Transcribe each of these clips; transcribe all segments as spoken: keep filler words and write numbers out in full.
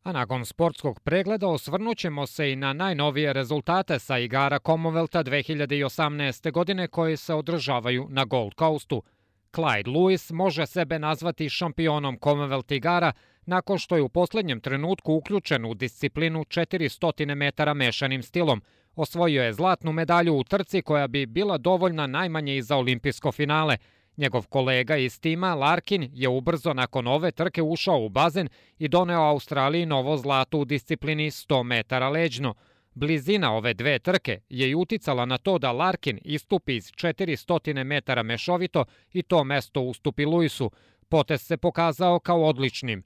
A nakon sportskog pregleda osvrnut ćemo se i na najnovije rezultate sa igara Commonwealtha dve hiljade osamnaeste. godine koji se održavaju na Gold Coastu. Clyde Lewis može sebe nazvati šampionom Commonwealth igara nakon što je u poslednjem trenutku uključen u disciplinu četiristo metara mešanim stilom. Osvojio je zlatnu medalju u trci koja bi bila dovoljna najmanje i za olimpijsko finale. Njegov kolega iz tima, Larkin, je ubrzo nakon ove trke ušao u bazen i doneo Australiji novo zlato u disciplini sto metara leđno. Blizina ove dve trke je i uticala na to da Larkin istupi iz četiristo metara mešovito i to mesto ustupi Lewisu. Potez se pokazao kao odličnim.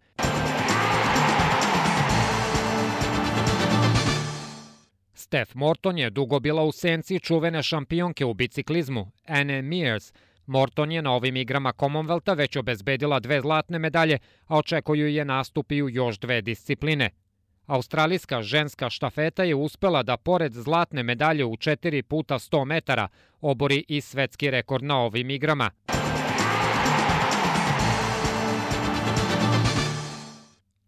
Steph Morton je dugo bila u senci čuvene šampionke u biciklizmu, Anne Meares. Morton je na ovim igrama Commonwealtha već obezbedila dve zlatne medalje, a očekuju je nastupi u još dve discipline. Australijska ženska štafeta je uspela da pored zlatne medalje u četiri puta sto metara obori i svetski rekord na ovim igrama.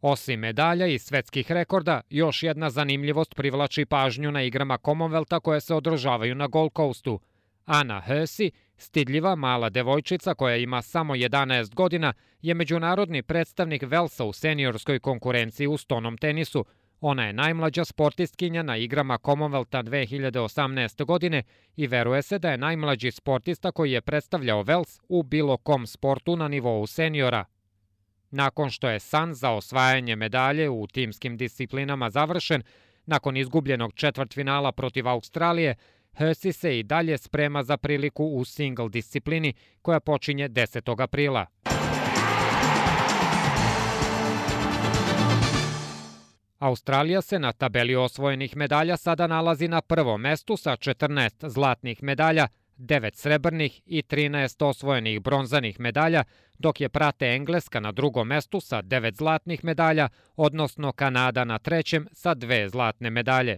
Osim medalja i svetskih rekorda, još jedna zanimljivost privlači pažnju na igrama Commonwealtha koje se održavaju na Gold Coastu. Anna Hersey, stidljiva mala devojčica koja ima samo jedanaest godina, je međunarodni predstavnik Velsa u seniorskoj konkurenciji u stonom tenisu. Ona je najmlađa sportistkinja na igrama Commonwealtha dve hiljade osamnaeste. godine i veruje se da je najmlađi sportista koji je predstavljao Vels u bilo kom sportu na nivou seniora. Nakon što je san za osvajanje medalje u timskim disciplinama završen, nakon izgubljenog četvrtfinala protiv Australije, Hersey se i dalje sprema za priliku u single disciplini koja počinje desetog aprila. Australija se na tabeli osvojenih medalja sada nalazi na prvom mestu sa četrnaest zlatnih medalja, devet srebrnih i trinaest osvojenih bronzanih medalja, dok je prate Engleska na drugom mestu sa devet zlatnih medalja, odnosno Kanada na trećem sa dve zlatne medalje.